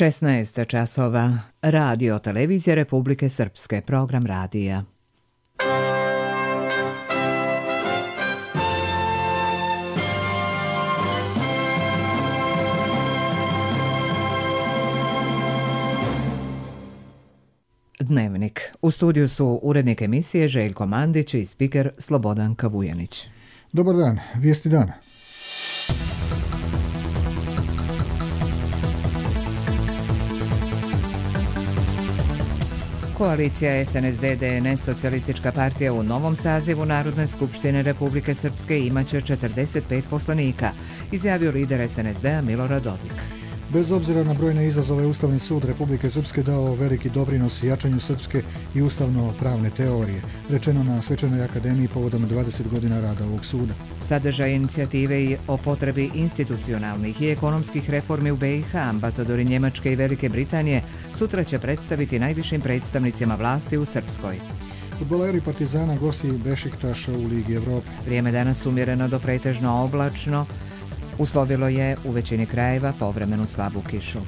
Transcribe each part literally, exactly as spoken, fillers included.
šesnaest časova. Radio Televizija Republike Srpske. Program radija. Dnevnik. U studiju su urednik emisije Željko Mandić i spiker Slobodan Kavujanić. Dobar dan, vijesti dana. Koalicija es en es de de en es Socijalistička partija u novom sazivu Narodne skupštine Republike Srpske imaće četrdeset pet poslanika, izjavio lider es en es de a Milorad Dodik. Bez obzira na brojne izazove, Ustavni sud Republike Srpske dao veliki doprinos jačanju srpske i ustavno-pravne teorije, rečeno na Svečanoj akademiji povodom dvadeset godina rada ovog suda. Sadržaj inicijative i o potrebi institucionalnih i ekonomskih reformi u be i ha ambasadori Njemačke i Velike Britanije sutra će predstaviti najvišim predstavnicima vlasti u Srpskoj. Fudbaleri Partizana gosti Bešiktaša u Ligi Evrope. Vrijeme danas umjereno do pretežno oblačno. Uslovilo je u većini krajeva povremenu slabu kišu.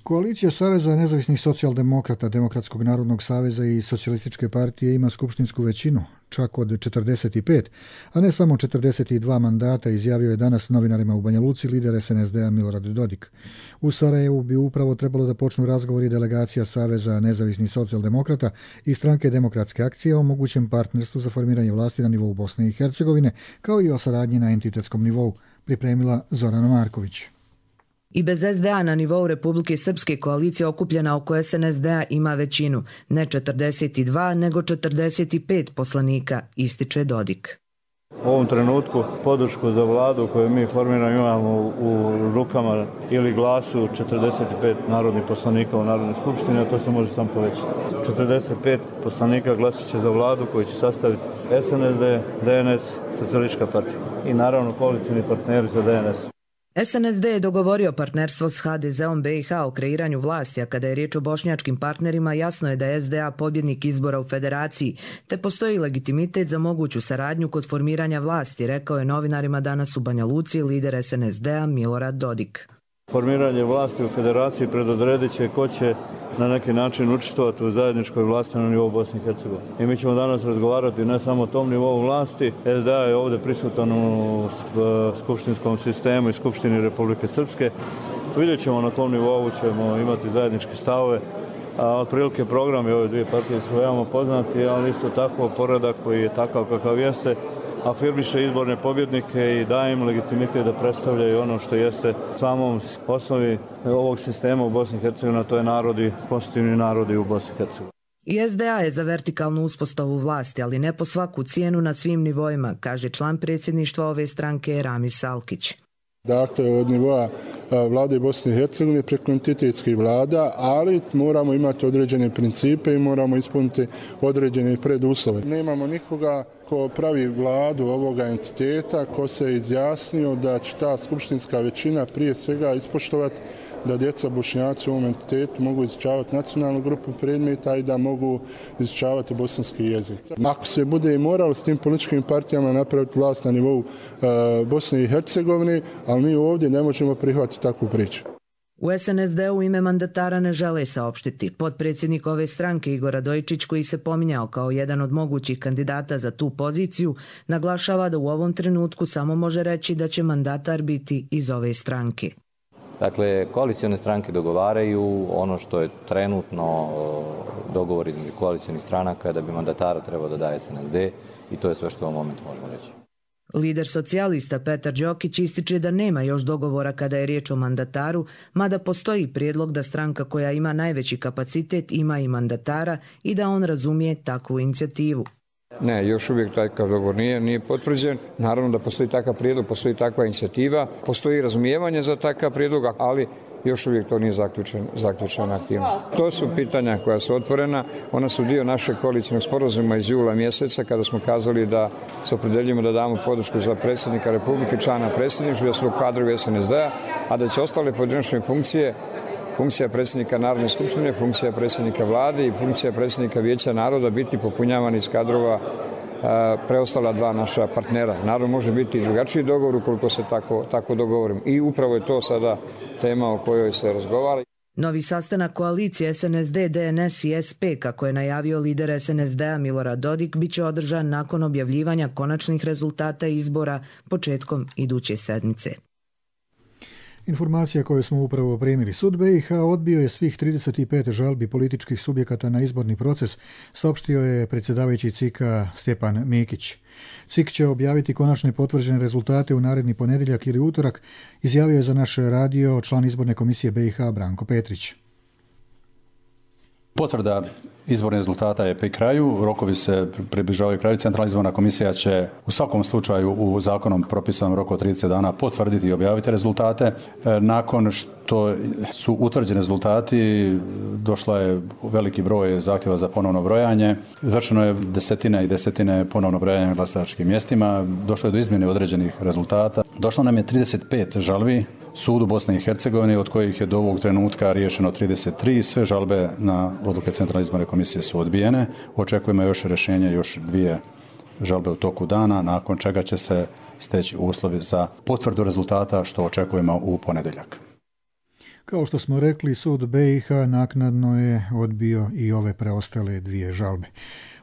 Koalicija Saveza nezavisnih socijaldemokrata, Demokratskog narodnog saveza i Socijalističke partije ima skupštinsku većinu, čak od četrdeset pet, a ne samo četrdeset dva mandata, izjavio je danas novinarima u Banja Luci lider es en es de a Milorad Dodik. U Sarajevu bi upravo trebalo da počnu razgovori delegacija Saveza nezavisnih socijaldemokrata i stranke Demokratske akcije o mogućem partnerstvu za formiranje vlasti na nivou Bosne i Hercegovine, kao i o saradnji na entitetskom nivou, pripremila Zorana Marković. I bez es de a na nivou Republike Srpske koalicija okupljena oko es en es de a ima većinu, ne četrdeset dva, nego četrdeset pet poslanika, ističe Dodik. U ovom trenutku podršku za vladu koju mi formiramo imamo u rukama ili glasu četrdeset pet narodnih poslanika u Narodnoj skupštini, a to se može samo povećati. četrdeset pet poslanika glasat će za vladu koju će sastaviti es en es de, de en es, Socijalistička partija i naravno koalicijni partneri za de en es. es en es de je dogovorio partnerstvo s ha de zeom be i ha o kreiranju vlasti, a kada je riječ o bošnjačkim partnerima, jasno je da je es de a pobjednik izbora u federaciji, te postoji legitimitet za moguću saradnju kod formiranja vlasti, rekao je novinarima danas u Banja Luci lider es en es de a Milorad Dodik. Formiranje vlasti u federaciji predodredit će ko će na neki način učestvovati u zajedničkoj vlasti na nivou Bosne i Hercegovine. I mi ćemo danas razgovarati ne samo o tom nivou vlasti. es de a je ovdje prisutan u skupštinskom sistemu i Skupštini Republike Srpske. Vidjet ćemo na tom nivou, ćemo imati zajedničke stavove. A otprilike program i ove dvije partije su veoma poznati, ali isto tako poredak koji je takav kakav jeste, afirmiše izborne pobjednike i daje im legitimitet da predstavljaju ono što jeste samom osnovi ovog sistema u Bosni i Hercegovini, a to je narodi, konstitutivni narodi u Bosni i Hercegovini. I es de a je za vertikalnu uspostavu vlasti, ali ne po svaku cijenu na svim nivoima, kaže član predsjedništva ove stranke Ramis Salkić. Dakle, od nivoa vlade Bosne i Hercegovine preko entitetskih vlada, ali moramo imati određene principe i moramo ispuniti određene preduslove. Nemamo nikoga ko pravi vladu ovoga entiteta, ko se izjasnio da će ta skupštinska većina prije svega ispoštovati da djeca Bošnjaci u ovom entitetu mogu izučavati nacionalnu grupu predmeta i da mogu izučavati bosanski jezik. Ako se bude i moralo s tim političkim partijama napraviti vlast na nivou e, Bosne i Hercegovine, ali mi ovdje ne možemo prihvatiti takvu priču. U es en es de u ime mandatara ne žele saopštiti. Potpredsjednik ove stranke Igor Radojičić, koji se pominjao kao jedan od mogućih kandidata za tu poziciju, naglašava da u ovom trenutku samo može reći da će mandatar biti iz ove stranke. Dakle, koalicione stranke dogovaraju ono što je trenutno dogovor između koalicionih stranaka da bi mandatara trebao da daje es en es de i to je sve što u ovom momentu možemo reći. Lider socijalista Petar Đokić ističe da nema još dogovora kada je riječ o mandataru, mada postoji prijedlog da stranka koja ima najveći kapacitet ima i mandatara i da on razumije takvu inicijativu. Ne, još uvijek takav dogovor nije, nije potvrđen. Naravno da postoji takav prijedlog, postoji takva inicijativa, postoji razumijevanje za takav prijedlog, ali još uvijek to nije zaključen, zaključena aktivnost. To su pitanja koja su otvorena, ona su dio našeg koalicijnog sporazuma iz jula mjeseca kada smo kazali da se opredeljujemo da damo podršku za predsjednika Republike, člana predsjedništva, da su kadrovi es en es de a, a da će ostale pojedinačne funkcije, funkcija predsjednika Narodne skupštine, funkcija predsjednika vlade i funkcija predsjednika Vijeća naroda biti popunjavani iz kadrova preostala dva naša partnera. Naravno, može biti i drugačiji dogovor ukoliko se tako, tako dogovorimo. I upravo je to sada tema o kojoj se razgovara. Novi sastanak koalicije S N S D, D N S i S P, kako je najavio lider S N S D-a Milorad Dodik, bit će održan nakon objavljivanja konačnih rezultata izbora početkom iduće sedmice. Informacija koju smo upravo primili. Sud B i H odbio je svih trideset pet žalbi političkih subjekata na izborni proces, saopštio je predsjedavajući C I K-a Stjepan Mikić. C I K će objaviti konačne potvrđene rezultate u naredni ponedjeljak ili utorak, izjavio je za naš radio član izborne komisije B i H Branko Petrić. Potvrda izbornih rezultata je pri kraju, rokovi se približavaju kraju. Centralna izborna komisija će u svakom slučaju u zakonom propisanom roku od trideset dana potvrditi i objaviti rezultate. Nakon što su utvrđeni rezultati, došla je veliki broj zahtjeva za ponovno brojanje. Izvršeno je desetine i desetine ponovno brojanja na glasačkim mjestima. Došlo je do izmjene određenih rezultata. Došlo nam je trideset pet žalbi Sudu Bosne i Hercegovine, od kojih je do ovog trenutka riješeno trideset tri. Sve žalbe na odluke Centralne izborne komisije su odbijene. Očekujemo još rješenje, još dvije žalbe u toku dana, nakon čega će se steći uslovi za potvrdu rezultata, što očekujemo u ponedjeljak. Kao što smo rekli, sud B i H naknadno je odbio i ove preostale dvije žalbe.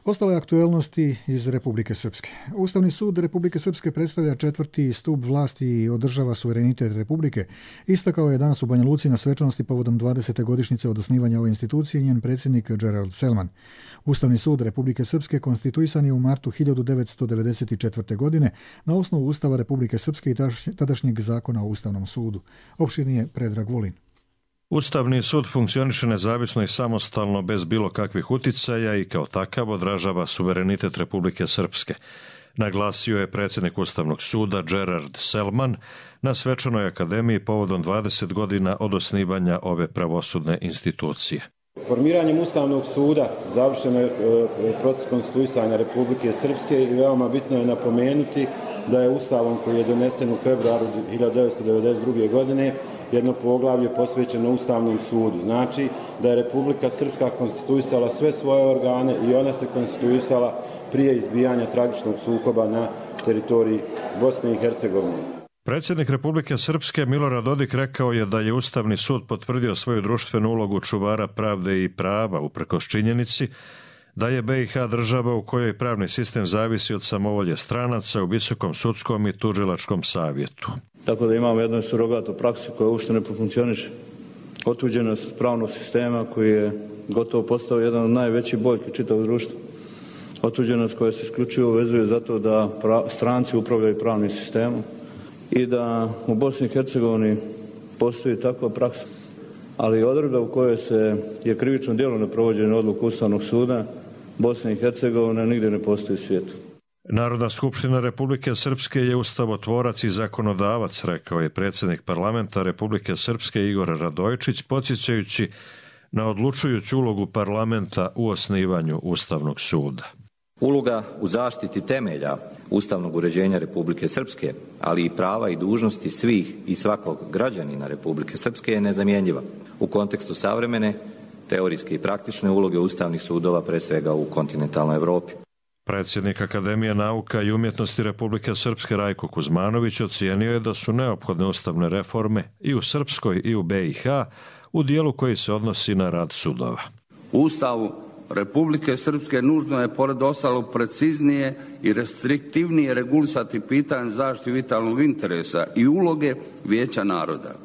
Ostale aktuelnosti iz Republike Srpske. Ustavni sud Republike Srpske predstavlja četvrti stup vlasti i održava suverenitet Republike. Istakao je danas u Banja Luci na svečanosti povodom dvadesete godišnjice od osnivanja ove institucije njen predsjednik Gerald Selman. Ustavni sud Republike Srpske konstituisan je u martu hiljadu devetsto devedeset četvrte. godine na osnovu Ustava Republike Srpske i tadašnjeg zakona o Ustavnom sudu. Opširnije Predrag Vulin. Ustavni sud funkcioniše nezavisno i samostalno bez bilo kakvih uticaja i kao takav odražava suverenitet Republike Srpske, naglasio je predsjednik Ustavnog suda Gerard Selman na svečanoj akademiji povodom dvadeset godina od osnivanja ove pravosudne institucije. Formiranjem Ustavnog suda završeno je proces konstituisanja Republike Srpske i veoma bitno je napomenuti da je Ustavom koji je donesen u februaru hiljadu devetsto devedeset druge. godine jedno poglavlje posvećeno Ustavnom sudu. Znači da je Republika Srpska konstituisala sve svoje organe i ona se konstituisala prije izbijanja tragičnog sukoba na teritoriji Bosne i Hercegovine. Predsjednik Republike Srpske Milorad Dodik rekao je da je Ustavni sud potvrdio svoju društvenu ulogu čuvara pravde i prava uprkos činjenici da je B i H država u kojoj pravni sistem zavisi od samovolje stranaca u Visokom sudskom i tužilačkom savjetu. Tako da imamo jednu surogatu praksu koja uopšte ne funkcioniše. Otuđenost pravnog sistema koji je gotovo postao jedan od najvećih boljki čitavog društva. Otuđenost koja se isključivo vezuje zato da stranci upravljaju pravnim sistemom i da u Bosni i Hercegovini postoji takva praksa. Ali odredba u kojoj se je krivično djelo neprovođenje odluku Ustavnog suda Bosne i Hercegovine nigdje ne postoji u svijetu. Narodna skupština Republike Srpske je ustavotvorac i zakonodavac, rekao je predsjednik parlamenta Republike Srpske Igor Radojčić, podsjećajući na odlučujuću ulogu parlamenta u osnivanju Ustavnog suda. Uloga u zaštiti temelja ustavnog uređenja Republike Srpske, ali i prava i dužnosti svih i svakog građanina Republike Srpske je nezamjenjiva u kontekstu savremene, teorijske i praktične uloge ustavnih sudova, pre svega u kontinentalnoj Evropi. Predsjednik Akademije nauka i umjetnosti Republike Srpske Rajko Kuzmanović ocijenio je da su neophodne ustavne reforme i u Srpskoj i u B i H u dijelu koji se odnosi na rad sudova. U Ustavu Republike Srpske nužno je pored ostalog preciznije i restriktivnije regulisati pitanje zaštite vitalnog interesa i uloge Vijeća naroda.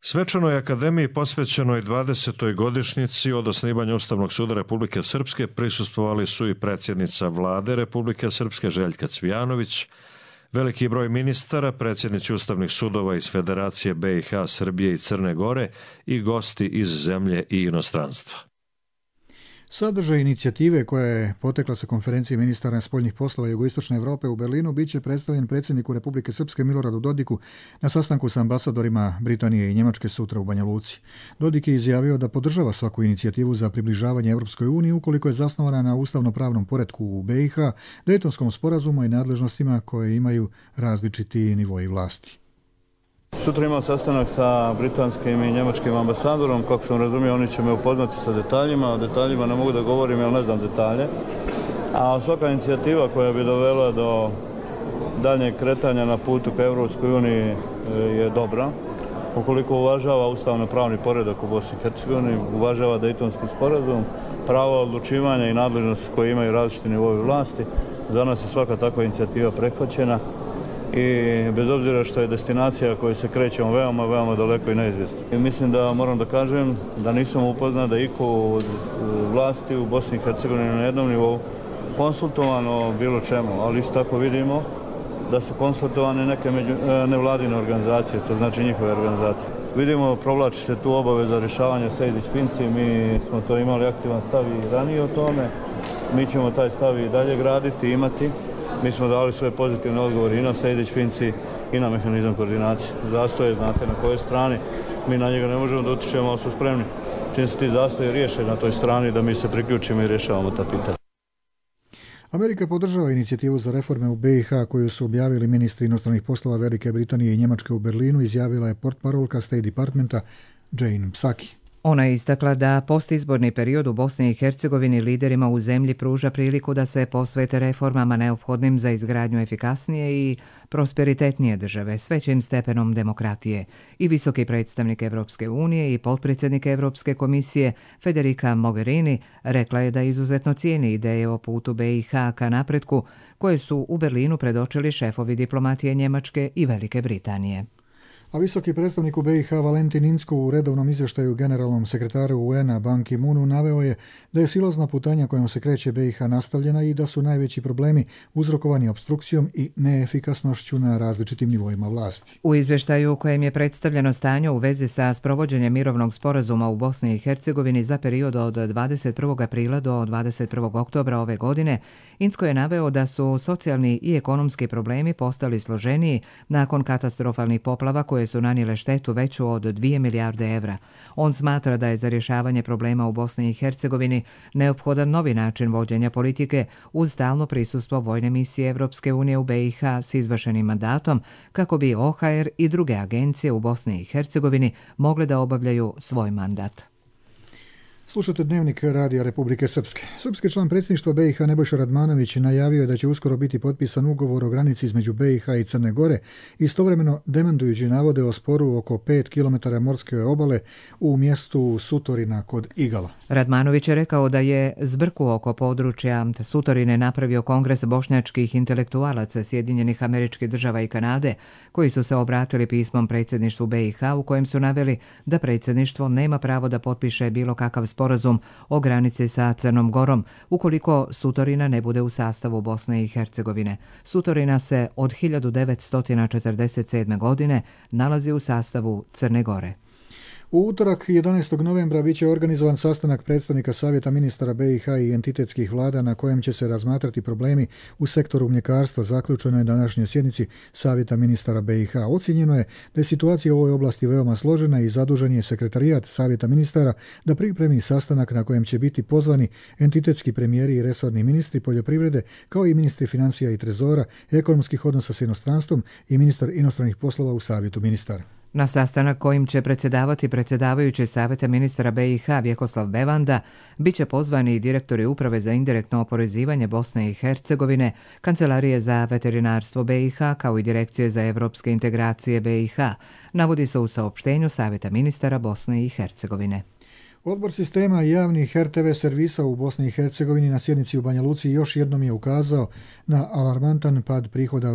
Svečanoj akademiji posvećenoj dvadesetoj godišnjici od osnivanja Ustavnog suda Republike Srpske prisustvovali su i predsjednica vlade Republike Srpske Željka Cvijanović, veliki broj ministara, predsjednici ustavnih sudova iz Federacije B i H, Srbije i Crne Gore i gosti iz zemlje i inostranstva. Sadržaj inicijative koja je potekla sa konferencije ministara spoljnih poslova Jugoistočne Europe u Berlinu bit će predstavljen predsjedniku Republike Srpske Miloradu Dodiku na sastanku sa ambasadorima Britanije i Njemačke sutra u Banja Luci. Dodik je izjavio da podržava svaku inicijativu za približavanje Europskoj uniji ukoliko je zasnovana na ustavno-pravnom poretku u B i H, Dejtonskom sporazumu i nadležnostima koje imaju različiti nivoji vlasti. Sutra imam sastanak sa britanskim i njemačkim ambasadorom. Kako sam razumio, oni će me upoznati sa detaljima. O detaljima ne mogu da govorim jer ne znam detalje. A svaka inicijativa koja bi dovela do daljnjeg kretanja na putu ka Europskoj uniji je dobra. Ukoliko uvažava ustavno-pravni poredak u Bosni i Hercegovini, uvažava Dejtonski sporazum, pravo odlučivanja i nadležnosti koje imaju različiti nivoi vlasti, za nas je svaka takva inicijativa prihvaćena i bez obzira što je destinacija koju se krećemo veoma, veoma daleko i neizvjesno. I mislim da moram da kažem da nisam upoznat da iko od vlasti u Bosni i Hercegovini na jednom nivou konsultovano o bilo čemu, ali isto tako vidimo da su konsultovane neke među, nevladine organizacije, to znači njihove organizacije. Vidimo, provlači se tu obaveza rješavanja Sejdić-Finci, mi smo to imali aktivan stav i ranije o tome, mi ćemo taj stav i dalje graditi, imati. Mi smo dali svoje pozitivne odgovore i na Sejdić-Finci i na mehanizam koordinacije. Zastoje, znate na kojoj strani, mi na njega ne možemo da utičemo, ali su spremni. Čim se ti zastoje riješe na toj strani, da mi se priključimo i rješavamo ta pitanja. Amerika podržava inicijativu za reforme u B i H koju su objavili ministri inostranih poslova Velike Britanije i Njemačke u Berlinu, izjavila je portparolka State Departmenta Jane Psaki. Ona je istakla da postizborni period u Bosni i Hercegovini liderima u zemlji pruža priliku da se posvete reformama neophodnim za izgradnju efikasnije i prosperitetnije države s većim stepenom demokratije. I visoki predstavnik Evropske unije i potpredsjednik Evropske komisije Federica Mogherini rekla je da izuzetno cijeni ideje o putu B i H ka napretku koje su u Berlinu predočili šefovi diplomatije Njemačke i Velike Britanije. A visoki predstavnik u B i H Valentin Inzko u redovnom izvještaju generalnom sekretaru U N-a Ban Ki-moonu naveo je da je silazna putanja kojom se kreće B i H nastavljena i da su najveći problemi uzrokovani opstrukcijom i neefikasnošću na različitim nivoima vlasti. U izvještaju u kojem je predstavljeno stanje u vezi sa sprovođenjem mirovnog sporazuma u Bosni i Hercegovini za period od dvadeset prvog aprila do dvadeset prvog oktobra ove godine, Inzko je naveo da su socijalni i ekonomski problemi postali složeniji nakon katastrofalnih poplava koje su nanijele štetu veću od dvije milijarde evra. On smatra da je za rješavanje problema u Bosni i Hercegovini neophodan novi način vođenja politike uz stalno prisustvo vojne misije Evropske unije u B i H s izvršenim mandatom kako bi O H R i druge agencije u Bosni i Hercegovini mogle da obavljaju svoj mandat. Slušate Dnevnik Radija Republike Srpske. Srpski član predsjedništva B i H Nebojša Radmanović najavio je da će uskoro biti potpisan ugovor o granici između B i H i Crne Gore, istovremeno demantujući navode o sporu oko pet kilometara morske obale u mjestu Sutorina kod Igala. Radmanović je rekao da je zbrku oko područja Sutorine napravio Kongres bošnjačkih intelektualaca Sjedinjenih Američkih Država i Kanade, koji su se obratili pismom predsjedništvu B i H u kojem su naveli da predsjedništvo nema pravo da potpiše bilo kakav sporazum o granici sa Crnom Gorom ukoliko Sutorina ne bude u sastavu Bosne i Hercegovine. Sutorina se od hiljadu devetsto četrdeset sedme. godine nalazi u sastavu Crne Gore. U utorak jedanaestog novembra biće organizovan sastanak predstavnika Savjeta ministara B i H i entitetskih vlada na kojem će se razmatrati problemi u sektoru mljekarstva, zaključeno je današnjoj sjednici Savjeta ministara B i H. Ocijenjeno je da je situacija u ovoj oblasti veoma složena i zadužen je sekretarijat Savjeta ministara da pripremi sastanak na kojem će biti pozvani entitetski premijeri i resorni ministri poljoprivrede, kao i ministri financija i trezora, ekonomskih odnosa s inostranstvom i ministar inostranih poslova u Savjetu ministara. Na sastanak kojim će predsjedavati predsjedavajući Savjeta ministara B i H Vjekoslav Bevanda bit će pozvani i direktori Uprave za indirektno oporezivanje Bosne i Hercegovine, Kancelarije za veterinarstvo B i H kao i Direkcije za evropske integracije B i H, navodi se u saopštenju Savjeta ministara Bosne i Hercegovine. Odbor sistema javnih R T V servisa u Bosni i Hercegovini na sjednici u Banja Luci još jednom je ukazao na alarmantan pad prihoda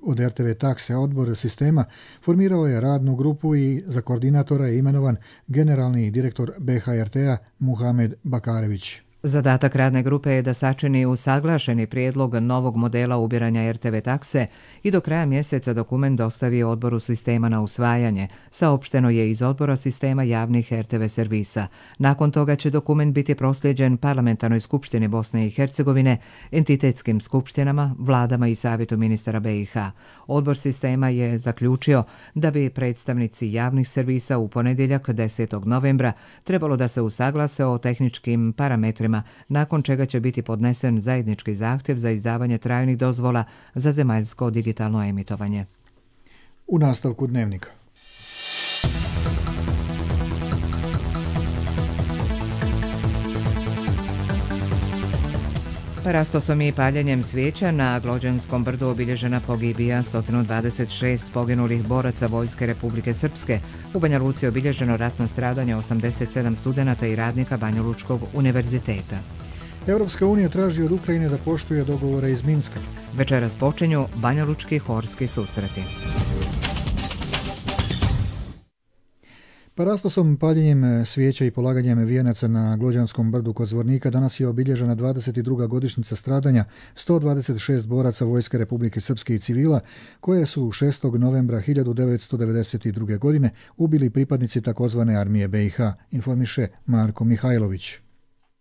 od R T V takse. Odbor sistema formirao je radnu grupu i za koordinatora je imenovan generalni direktor B H R T-a Muhamed Bakarević. Zadatak radne grupe je da sačini usaglašeni prijedlog novog modela ubiranja R T V takse i do kraja mjeseca dokument dostavi odboru sistema na usvajanje, saopšteno je iz odbora sistema javnih R T V servisa. Nakon toga će dokument biti proslijeđen Parlamentarnoj skupštini Bosne i Hercegovine, entitetskim skupštinama, vladama i Savjetu ministara B i H. Odbor sistema je zaključio da bi predstavnici javnih servisa u ponedjeljak desetog novembra trebalo da se usaglase o tehničkim parametrima, nakon čega će biti podnesen zajednički zahtjev za izdavanje trajnih dozvola za zemaljsko digitalno emitovanje. U nastavku Dnevnika. Parastosom i paljenjem svijeća na Glođanskom brdu obilježena pogibija sto dvadeset šest poginulih boraca Vojske Republike Srpske. U Banja Luci obilježeno ratno stradanje osamdeset sedam studenata i radnika Banjalučkog univerziteta. Europska unija traži od Ukrajine da poštuje dogovore iz Minska. Večeras počinju banjalučki horski susreti. Parastosom, paljenjem svijeća i polaganjem vijenaca na Glođanskom brdu kod Zvornika danas je obilježena dvadeset druga godišnjica stradanja sto dvadeset šest boraca Vojske Republike Srpske i civila, koje su šestog novembra hiljadu devetsto devedeset druge. godine ubili pripadnici takozvane armije B i H, informiše Marko Mihajlović.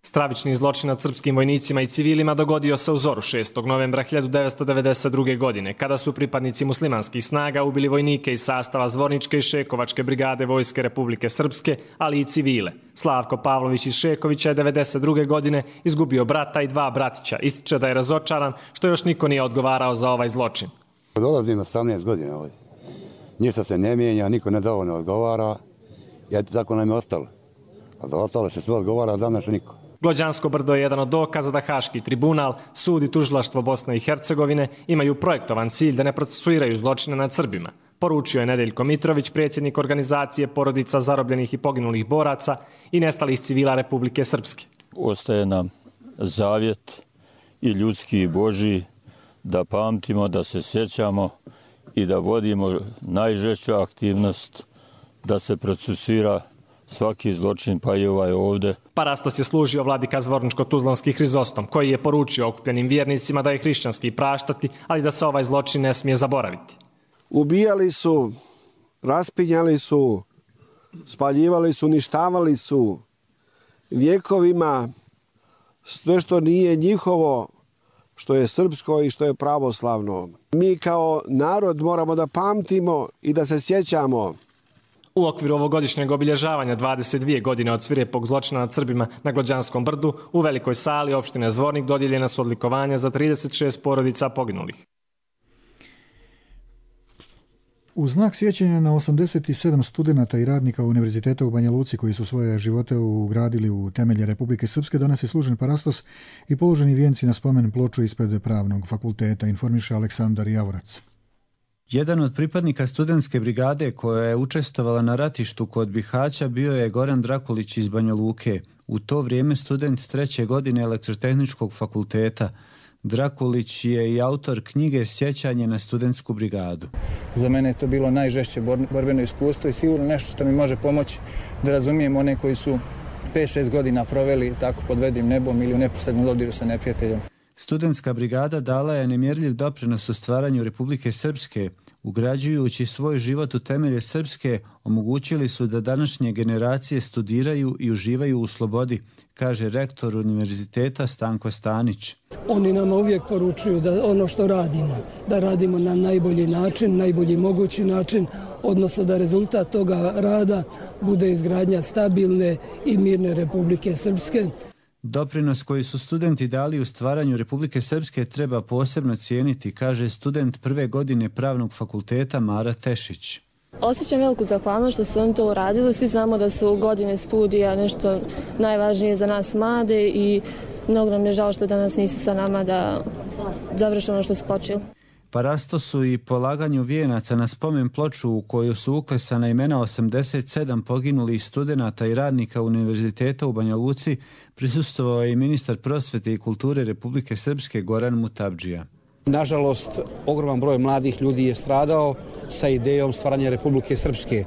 Stravični zločin nad srpskim vojnicima i civilima dogodio se u zoru šestog novembra hiljadu devetsto devedeset druge. godine, kada su pripadnici muslimanskih snaga ubili vojnike iz sastava Zvorničke i Šekovačke brigade Vojske Republike Srpske, ali i civile. Slavko Pavlović iz Šekovića je devedeset druge. godine izgubio brata i dva bratića. Ističe da je razočaran što još niko nije odgovarao za ovaj zločin. Dolazim osamnaest godina ovdje. Ništa se ne mijenja, niko ne dovoljno odgovara. I eto tako nam je ostalo. A za ostalo se sve odgovara, a danas niko. Glođansko brdo je jedan od dokaza da Haški tribunal, sud i tužilaštvo Bosne i Hercegovine imaju projektovan cilj da ne procesuiraju zločine nad Srbima. Poručio je Nedeljko Mitrović, predsjednik organizacije porodica zarobljenih i poginulih boraca i nestalih civila Republike Srpske. Ostaje nam zavjet i ljudski i božji da pamtimo, da se sjećamo i da vodimo najžešću aktivnost da se procesuira svaki zločin, pa i ovaj ovdje. Parastos je služio vladika Zvorničko-Tuzlanski Hrizostom, koji je poručio okupljenim vjernicima da je hrišćanski praštati, ali da se ovaj zločin ne smije zaboraviti. Ubijali su, raspinjali su, spaljivali su, uništavali su vjekovima sve što nije njihovo, što je srpsko i što je pravoslavno. Mi kao narod moramo da pamtimo i da se sjećamo. U okviru ovogodišnjeg obilježavanja dvadeset dvije godine od svirepog zločina nad Srbima na Glođanskom brdu, u velikoj sali opštine Zvornik dodijeljena su odlikovanja za trideset šest porodica poginulih. U znak sjećanja na osamdeset sedam studenata i radnika Univerziteta u Banja Luci koji su svoje živote ugradili u temelje Republike Srpske, danas je služen parastos i položeni vijenci na spomen ploču ispred Pravnog fakulteta, informiše Aleksandar Javorac. Jedan od pripadnika studentske brigade koja je učestvovala na ratištu kod Bihaća bio je Goran Drakulić iz Banja Luke, u to vrijeme student treće godine Elektrotehničkog fakulteta. Drakulić je i autor knjige Sjećanje na studentsku brigadu. Za mene je to bilo najžešće borbeno iskustvo i sigurno nešto što mi može pomoći da razumijem one koji su pet šest godina proveli tako pod vedrim nebom ili u neposrednom dodiru sa neprijateljem. Studentska brigada dala je nemjerljiv doprinos u stvaranju Republike Srpske. Ugrađujući svoj život u temelje Srpske, omogućili su da današnje generacije studiraju i uživaju u slobodi, kaže rektor univerziteta Stanko Stanić. Oni nama uvijek poručuju da ono što radimo, da radimo na najbolji način, najbolji mogući način, odnosno da rezultat toga rada bude izgradnja stabilne i mirne Republike Srpske. Doprinos koji su studenti dali u stvaranju Republike Srpske treba posebno cijeniti, kaže student prve godine Pravnog fakulteta Mara Tešić. Osjećam veliku zahvalnost što su oni to uradili. Svi znamo da su godine studija nešto najvažnije za nas mlade i mnogo nam je žao što danas nisu sa nama da završe ono što su počeli. Parastosu i polaganju vijenaca na spomen ploču u koju su uklesana imena osamdeset sedam poginulih studenata i radnika Univerziteta u Banja Luci prisustvovao je i ministar prosvete i kulture Republike Srpske Goran Mutabdžija. Nažalost, ogroman broj mladih ljudi je stradao sa idejom stvaranja Republike Srpske.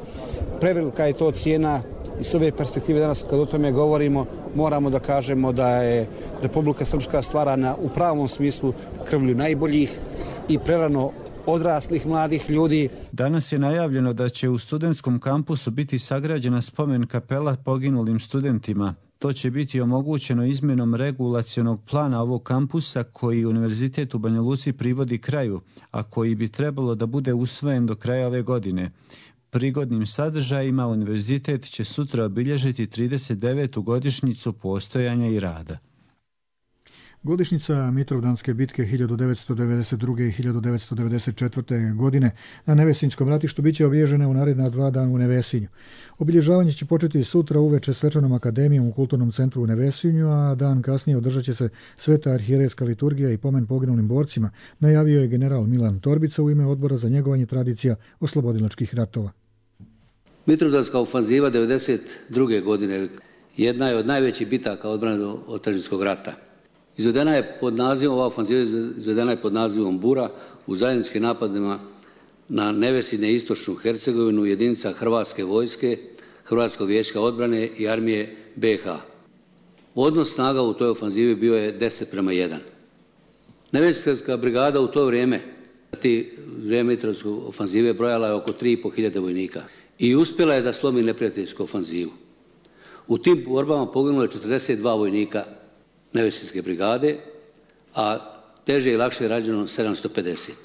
Prevelika je to cijena i s ove perspektive danas kad o tome govorimo moramo da kažemo da je Republika Srpska stvarana u pravom smislu krvlju najboljih i prerano odraslih mladih ljudi. Danas je najavljeno da će u studentskom kampusu biti sagrađena spomen kapela poginulim studentima. To će biti omogućeno izmjenom regulacionog plana ovog kampusa koji Univerzitet u Banja Luci privodi kraju, a koji bi trebalo da bude usvojen do kraja ove godine. Prigodnim sadržajima Univerzitet će sutra obilježiti trideset devetu godišnjicu postojanja i rada. Godišnjica Mitrovdanske bitke hiljadu devetsto devedeset druge. i hiljadu devetsto devedeset četvrte. godine na Nevesinskom ratištu biće obilježena u naredna dva dana u Nevesinju. Obilježavanje će početi sutra uveče svečanom akademijom u Kulturnom centru u Nevesinju, a dan kasnije održat će se sveta arhijerejska liturgija i pomen poginulim borcima, najavio je general Milan Torbica u ime Odbora za njegovanje tradicija oslobodilačkih ratova. Mitrovdanska ofanziva devedeset druge. godine jedna je od najvećih bitaka odbrane od Tržiskog rata. Izvedena je pod nazivom, ova ofanziva izvedena je pod nazivom Bura u zajedničkim napadima na Nevesinje i istočnu Hercegovinu jedinica Hrvatske vojske, Hrvatskog vijeća odbrane i armije be ha. Odnos snaga u toj ofanzivi bio je deset prema jedan. Nevesinska brigada u to vrijeme, ti vrijeme Mitrovdanske ofanzive, brojala je oko tri i pol hiljade vojnika i uspjela je da slomi neprijateljsku ofanzivu. U tim borbama poginulo je četrdeset dva vojnika Nevesinske brigade, a teže i lakše je rađeno sedamsto pedeset.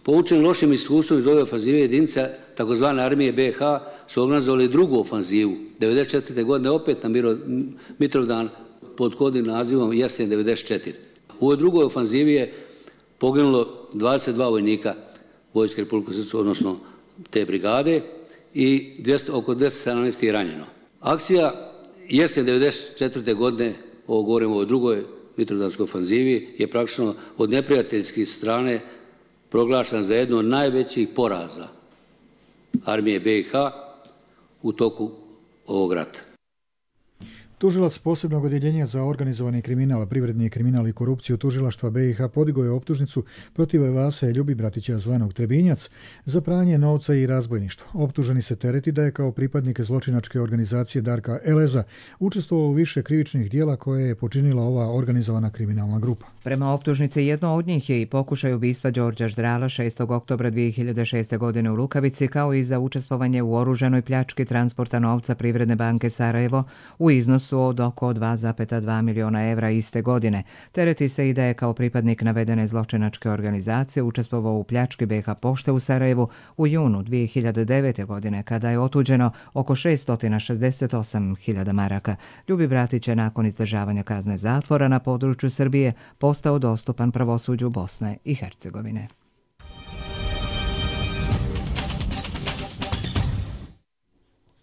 Poučeni lošim iskustvom iz ove ofanzive jedinica takozvane armije be ha su organizovali drugu ofanzivu devedeset četvrte. godine opet na Mitrovdan pod kodnim nazivom Jesen devedeset četiri. U ovoj drugoj ofanzivi je poginulo dvadeset dva vojnika Vojske Republike Srpske, odnosno te brigade, i oko dvjesto sedamnaest je ranjeno. Akcija Jesen devedeset četvrte. godine, ovo govorimo o drugoj Mitrovdanskoj ofanzivi, je praktično od neprijateljskih strane proglašena za jednu od najvećih poraza armije be ha u toku ovog rata. Tužilac posebnog odjeljenja za organizovani kriminal, privredni kriminal i korupciju tužilaštva be ha podigao je optužnicu protiv Vase Ljubibratića zvanog Trebinjac za pranje novca i razbojništvo. Optuženi se tereti da je kao pripadnik zločinačke organizacije Darka Eleza učestvovao u više krivičnih dijela koje je počinila ova organizovana kriminalna grupa. Prema optužnici jedno od njih je i pokušaj ubistva Đorđa Ždrala šestog oktobra dvije hiljade šeste. godine u Rukavici, kao i za učestvovanje u oružanoj pljački transporta novca Privredne banke Sarajevo u iznosu od oko dva zarez dva miliona evra iste godine. Tereti se i da je kao pripadnik navedene zločinačke organizacije učestvovao u pljački be ha pošte u Sarajevu u junu dvije hiljade devete. godine, kada je otuđeno oko šesto šezdeset osam hiljada maraka. Ljubibratić je nakon izdržavanja kazne zatvora na području Srbije postao dostupan pravosuđu Bosne i Hercegovine.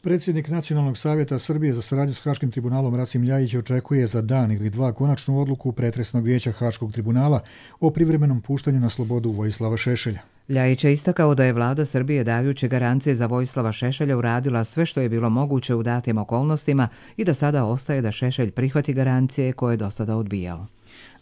Predsjednik Nacionalnog savjeta Srbije za saradnju s Haškim tribunalom Rasim Ljajić očekuje za dan ili dva konačnu odluku pretresnog vijeća Haškog tribunala o privremenom puštanju na slobodu Vojislava Šešelja. Ljajić je istakao da je vlada Srbije dajući garancije za Vojislava Šešelja uradila sve što je bilo moguće u datim okolnostima i da sada ostaje da Šešelj prihvati garancije koje je do sada odbijao.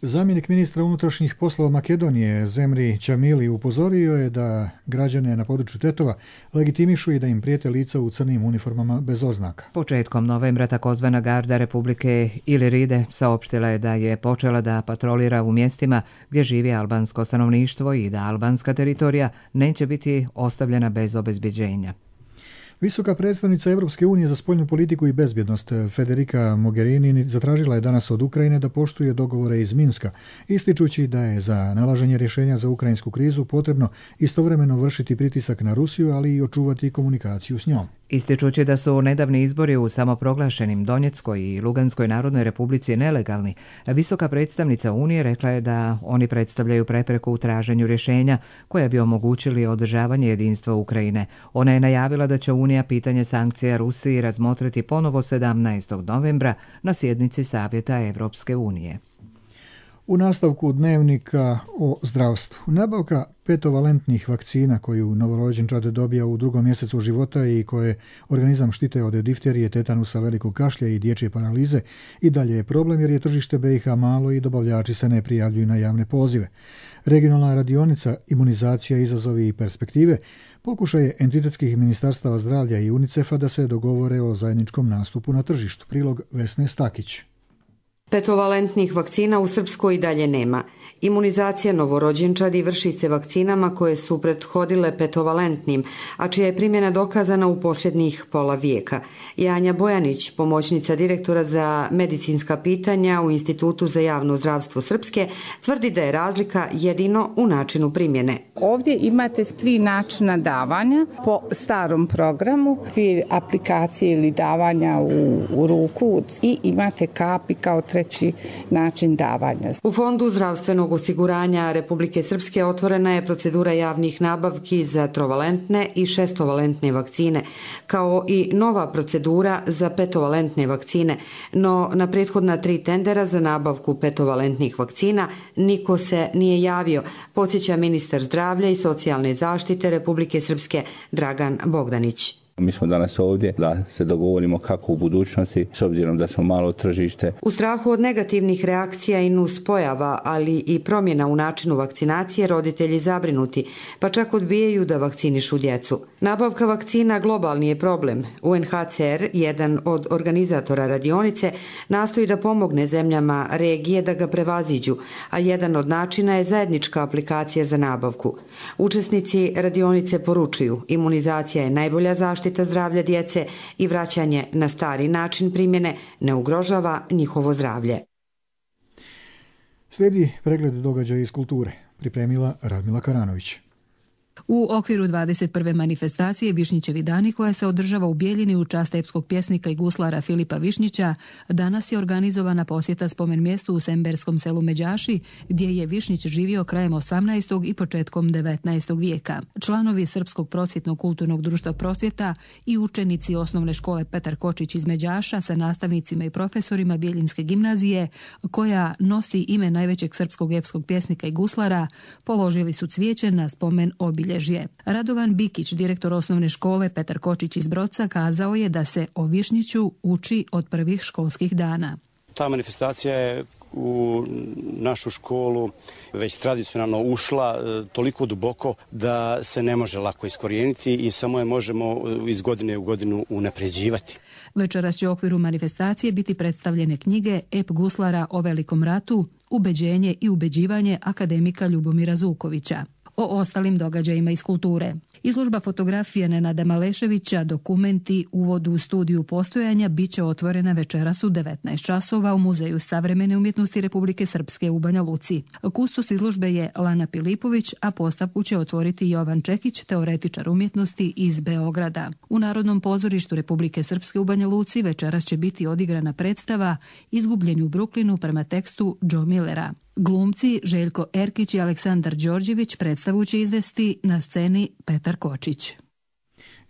Zamjenik ministra unutrašnjih poslova Makedonije Zemri Ćamili upozorio je da građane na području Tetova legitimišu i da im prijete lica u crnim uniformama bez oznaka. Početkom novembra takozvana garda Republike Iliride saopštila je da je počela da patrolira u mjestima gdje živi albansko stanovništvo i da albanska teritorija neće biti ostavljena bez obezbeđenja. Visoka predstavnica Evropske unije za spoljnu politiku i bezbjednost Federica Mogherini zatražila je danas od Ukrajine da poštuje dogovore iz Minska, ističući da je za nalaženje rješenja za ukrajinsku krizu potrebno istovremeno vršiti pritisak na Rusiju, ali i očuvati komunikaciju s njom. Ističući da su nedavni izbori u samoproglašenim Donjeckoj i Luganskoj narodnoj republici nelegalni, visoka predstavnica Unije rekla je da oni predstavljaju prepreku u traženju rješenja koja bi omogućili održavanje jedinstva Ukrajine. Ona je najavila da će Unija pitanje sankcija Rusiji razmotriti ponovo sedamnaestog novembra na sjednici Savjeta Evropske unije. U nastavku dnevnika o zdravstvu. Nabavka petovalentnih vakcina koju novorođenčad dobija u drugom mjesecu života i koje organizam štite od difterije, tetanusa, velikog kašlja i dječje paralize i dalje je problem jer je tržište be ha malo i dobavljači se ne prijavljuju na javne pozive. Regionalna radionica Imunizacija, izazovi i perspektive pokušaj je entitetskih ministarstava zdravlja i UNICEF-a da se dogovore o zajedničkom nastupu na tržištu. Prilog Vesne Stakić. Petovalentnih vakcina u Srpskoj i dalje nema. Imunizacija novorođenčadi vrši se vakcinama koje su prethodile petovalentnim, a čija je primjena dokazana u posljednjih pola vijeka. Janja Bojanić, pomoćnica direktora za medicinska pitanja u Institutu za javno zdravstvo Srpske, tvrdi da je razlika jedino u načinu primjene. Ovdje imate tri načina davanja po starom programu, dvije aplikacije ili davanja u, u ruku i imate kapi kao najkraći način davanja. U Fondu zdravstvenog osiguranja Republike Srpske otvorena je procedura javnih nabavki za trovalentne i šestovalentne vakcine, kao i nova procedura za petovalentne vakcine, no na prethodna tri tendera za nabavku petovalentnih vakcina niko se nije javio, podsjeća ministar zdravlja i socijalne zaštite Republike Srpske Dragan Bogdanić. Mi smo danas ovdje da se dogovorimo kako u budućnosti, s obzirom da smo malo tržište. U strahu od negativnih reakcija i nuspojava, ali i promjena u načinu vakcinacije, roditelji zabrinuti, pa čak odbijaju da vakcinišu djecu. Nabavka vakcina globalni je problem. U en ha ce er, jedan od organizatora radionice, nastoji da pomogne zemljama regije da ga prevaziđu, a jedan od načina je zajednička aplikacija za nabavku. Učesnici radionice poručuju, imunizacija je najbolja zaštita zdravlja djece i vraćanje na stari način primjene ne ugrožava njihovo zdravlje. Slijedi pregled događaja iz kulture, pripremila Radmila Karanović. U okviru dvadeset prve manifestacije Višnjićevi dani, koja se održava u Bijeljini u čast epskog pjesnika i guslara Filipa Višnjića, danas je organizovana posjeta spomen mjestu u semberskom selu Međaši, gdje je Višnjić živio krajem osamnaestog i početkom devetnaestog vijeka. Članovi Srpskog prosvjetnog kulturnog društva Prosvjeta i učenici osnovne škole Petar Kočić iz Međaša sa nastavnicima i profesorima Bijeljinske gimnazije, koja nosi ime najvećeg srpskog epskog pjesnika i guslara, položili su cvijeće na spomen obilježje. Radovan Bikić, direktor osnovne škole Petar Kočić iz Broca, kazao je da se o Višnjiću uči od prvih školskih dana. Ta manifestacija je u našu školu već tradicionalno ušla toliko duboko da se ne može lako iskorijeniti i samo je možemo iz godine u godinu unapređivati. Večeras će u okviru manifestacije biti predstavljene knjige Ep guslara o Velikom ratu, Ubeđenje i ubeđivanje akademika Ljubomira Zukovića. O ostalim događajima iz kulture. Izložba fotografije Nenada Maleševića, dokumenti Uvod u studiju postojanja, bit će otvorena večeras u devetnaest časova u Muzeju savremene umjetnosti Republike Srpske u Banja Luci. Kustos izložbe je Lana Pilipović, a postavku će otvoriti Jovan Čekić, teoretičar umjetnosti iz Beograda. U Narodnom pozorištu Republike Srpske u Banja Luci večeras će biti odigrana predstava Izgubljeni u Bruklinu prema tekstu Joe Millera. Glumci Željko Erkić i Aleksandar Đorđević predstavu će izvesti na sceni Petar Kočić.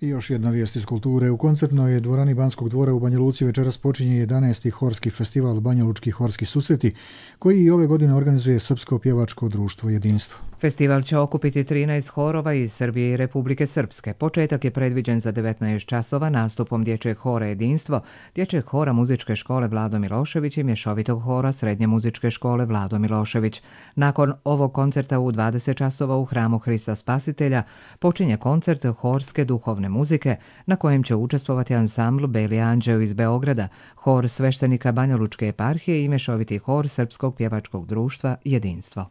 I još jedna vijest iz kulture. U koncertnoj dvorani Banskog dvora u Banja Luci večeras počinje jedanaesti horski festival Banja Lučki horski susreti, koji i ove godine organizuje Srpsko pjevačko društvo Jedinstvo. Festival će okupiti trinaest horova iz Srbije i Republike Srpske. Početak je predviđen za devetnaest časova nastupom dječjeg hora Jedinstvo, dječjeg hora muzičke škole Vlado Milošević i mješovitog hora srednje muzičke škole Vlado Milošević. Nakon ovog koncerta u dvadeset časova u hramu Hrista Spasitelja počinje koncert horske duhovne muzike na kojem će učestvovati ansambl Beli Anđeo iz Beograda, hor sveštenika Banja Lučke eparhije i mješoviti hor Srpskog pjevačkog društva Jedinstvo.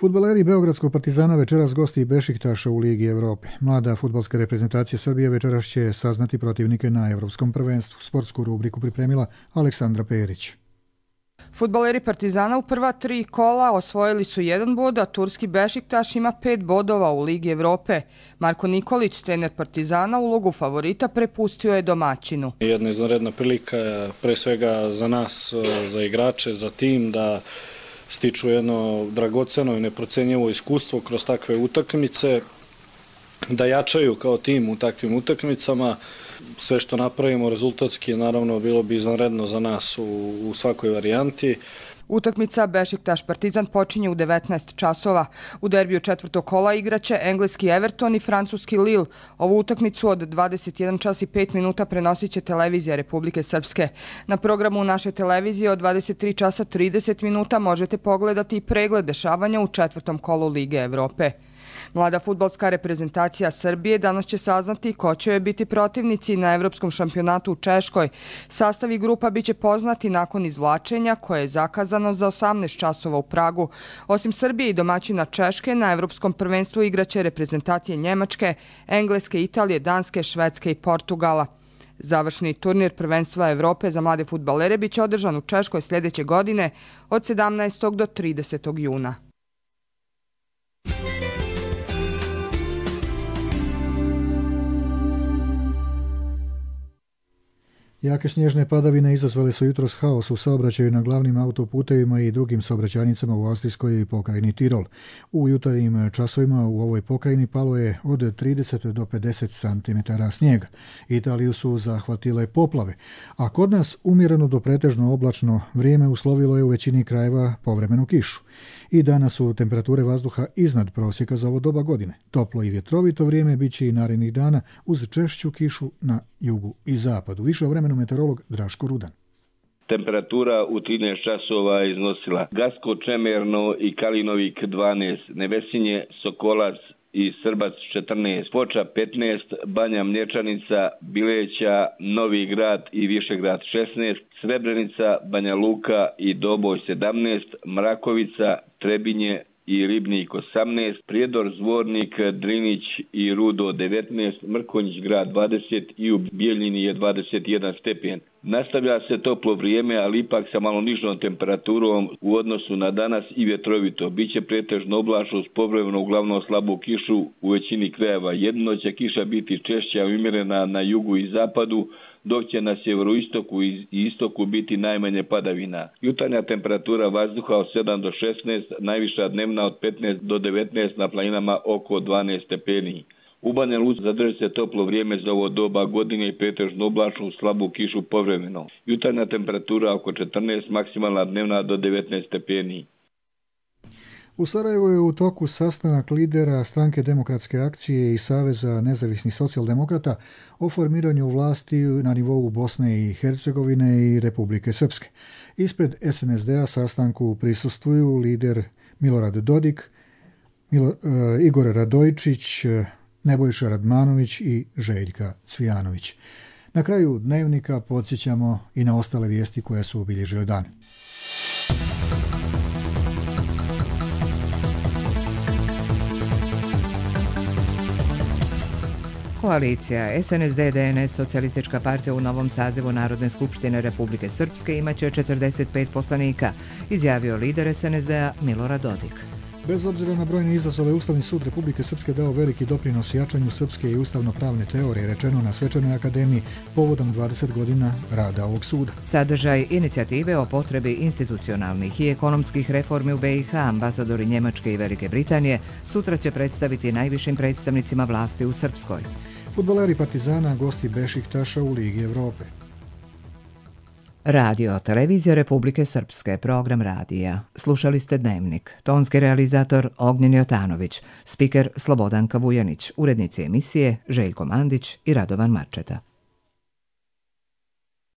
Fudbaleri Beogradskog Partizana večeras gosti Bešiktaša u Ligi Evrope. Mlada fudbalska reprezentacija Srbije večeras će saznati protivnike na Evropskom prvenstvu. Sportsku rubriku pripremila Aleksandra Perić. Fudbaleri Partizana u prva tri kola osvojili su jedan bod, a turski Bešiktaš ima pet bodova u Ligi Evrope. Marko Nikolić, trener Partizana, ulogu favorita prepustio je domaćinu. Jedna izvanredna prilika, pre svega za nas, za igrače, za tim, da stiču jedno dragoceno i neprocenjivo iskustvo kroz takve utakmice, da jačaju kao tim u takvim utakmicama. Sve što napravimo rezultatski, naravno, bilo bi izvanredno za nas u, u svakoj varijanti. Utakmica Bešiktaš Partizan počinje u devetnaest časova. U derbiju četvrtog kola igraće engleski Everton i francuski Lille. Ovu utakmicu od dvadeset jedan čas i pet minuta prenosit će televizija Republike Srpske. Na programu naše televizije od dvadeset tri časa trideset minuta možete pogledati pregled dešavanja u četvrtom kolu Lige Evrope. Mlada fudbalska reprezentacija Srbije danas će saznati ko će joj biti protivnici na Evropskom šampionatu u Češkoj. Sastav i grupa biće poznati nakon izvlačenja koje je zakazano za osamnaest časova u Pragu. Osim Srbije i domaćina Češke, na Evropskom prvenstvu igraće reprezentacije Njemačke, Engleske, Italije, Danske, Švedske i Portugala. Završni turnir prvenstva Evrope za mlade fudbalere biće održan u Češkoj sljedeće godine od sedamnaestog do tridesetog juna. Jake snježne padavine izazvale su jutros haos u saobraćaju na glavnim autoputevima i drugim saobraćajnicama u austrijskoj pokrajini Tirol. U jutarnjim časovima u ovoj pokrajini palo je od trideset do pedeset santimetara snijega. Italiju su zahvatile poplave, a kod nas umjereno do pretežno oblačno vrijeme uslovilo je u većini krajeva povremenu kišu. I danas su temperature vazduha iznad prosjeka za ovo doba godine. Toplo i vjetrovito vrijeme bit će i narednih dana uz češću kišu na jugu i zapadu. Više o vremenu meteorolog Draško Rudan. Temperatura u trinaest časova je iznosila Gasko, Čemerno i Kalinovik dvanaest, Nevesinje, Sokolac i Srbac četrnaest, Foča petnaest, Banja Mlječanica, Bileća, Novi Grad i Višegrad šesnaest, Srebrenica, Banja Luka i Doboj sedamnaest, Mrakovica, Trebinje i Ribnik osamnaest, Prijedor, Zvornik, Drinić i Rudo devetnaest, Mrkonjić grad dvadeset i u Bijeljini je dvadeset jedan stepen. Nastavlja se toplo vrijeme, ali ipak sa malo nižom temperaturom u odnosu na danas i vjetrovito. Biće pretežno oblačno uz povremeno uglavnom slabu kišu u većini krajeva. Jedino će kiša biti češća i umjerena na jugu i zapadu, dok će na sjeveroistoku i istoku biti najmanje padavina. Jutarnja temperatura vazduha od sedam do šesnaest, najviša dnevna od petnaest do devetnaest, na planinama oko dvanaest stepeni. U Banja Luci zadrži se toplo vrijeme za ovo doba godine i pretežno oblačnu slabu kišu povremeno. Jutarnja temperatura oko četrnaest, maksimalna dnevna do devetnaest stepeni. U Sarajevu je u toku sastanak lidera Stranke demokratske akcije i Saveza nezavisnih socijaldemokrata o formiranju vlasti na nivou Bosne i Hercegovine i Republike Srpske. Ispred es en es de-a sastanku prisustvuju lider Milorad Dodik, Milo, uh, Igor Radojčić, Nebojša Radmanović i Željka Cvijanović. Na kraju dnevnika podsjećamo i na ostale vijesti koje su obilježile dan. Koalicija es en es de de en es Socijalistička partija u novom sazivu Narodne skupštine Republike Srpske imaće četrdeset pet poslanika, izjavio lider es en es de-a Milorad Dodik. Bez obzira na brojne izazove, Ustavni sud Republike Srpske dao veliki doprinos jačanju srpske i ustavno-pravne teorije, rečeno na Svečanoj akademiji povodom dvadeset godina rada ovog suda. Sadržaj inicijative o potrebi institucionalnih i ekonomskih reformi u be i ha ambasadori Njemačke i Velike Britanije sutra će predstaviti najvišim predstavnicima vlasti u Srpskoj. Fudbaleri Partizana gosti Bešiktaša u Ligi Evrope. Radio Televizija Republike Srpske, program radija. Slušali ste Dnevnik. Tonski realizator Ognjen Jotanović, spiker Slobodanka Vujanić, urednici emisije Željko Mandić i Radovan Marčeta.